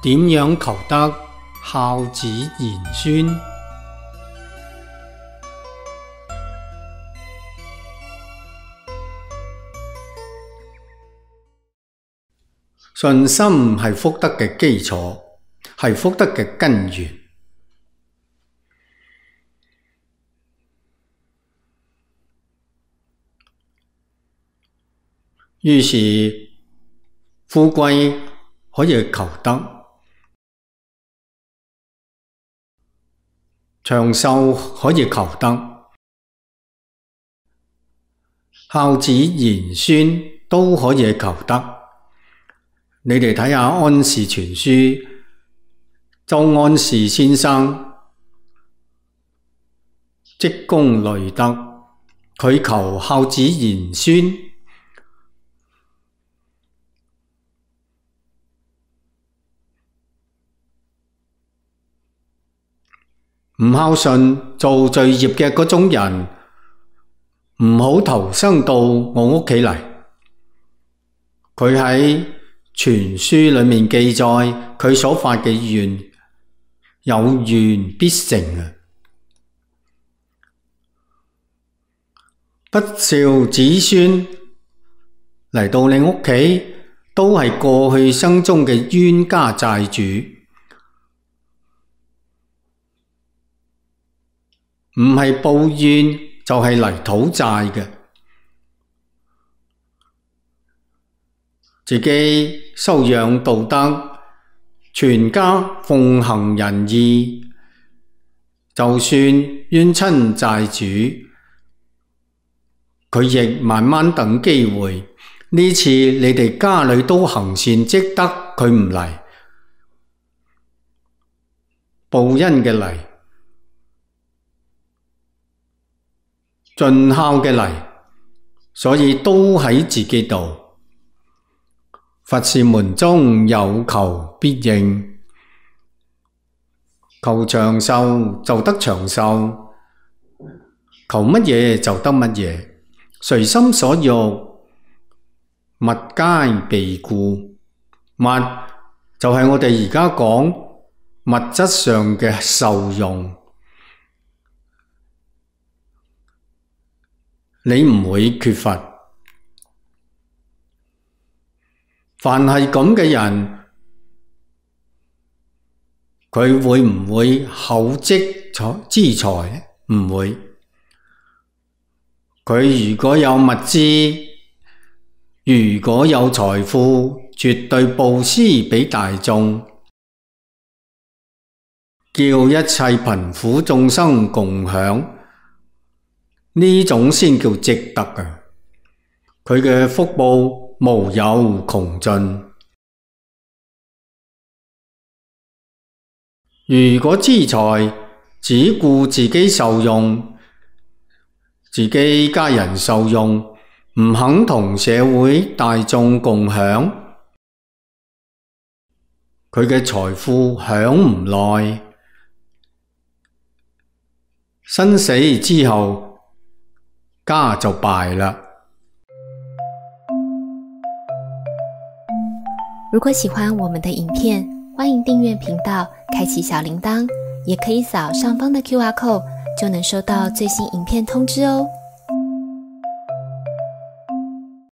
點樣求得孝子賢孫？信心係福德嘅基礎，係福德嘅根源。於是富貴可以求得，長壽可以求得，孝子賢孫都可以求得。你哋睇下安氏全書，周安士先生積功累德，佢求孝子賢孫。唔孝順做罪業嘅嗰種人，唔好投生到我屋企嚟。佢喺全書裏面記載，佢所發嘅願有願必成啊！不孝子孫嚟到你屋企，都係過去生中嘅冤家債主。唔係報怨就係嚟討債嘅，自己修養道德，全家奉行仁義，就算冤親債主，佢亦慢慢等機會。呢次你哋家裏都行善積德，佢唔嚟，報恩嘅嚟，盡孝嘅嚟，所以都喺自己度。佛是門中有求必應，求長壽就得長壽，求乜嘢就得乜嘢，隨心所欲，物皆被故。物就係我哋而家講物質上嘅受用。你唔會缺乏，凡係咁嘅人，佢會唔會厚積資財？唔會。佢如果有物資，如果有財富，絕對布施俾大眾，叫一切貧苦眾生共享。呢種先叫積德啊！佢嘅福報無有窮盡。如果資財只顧自己受用，自己家人受用，唔肯同社會大眾共享，佢嘅財富享唔耐，生死之後家就敗了。如果喜歡我們的影片，歡迎訂閱頻道，開啟小鈴鐺，也可以掃上方的QR code，就能收到最新影片通知哦。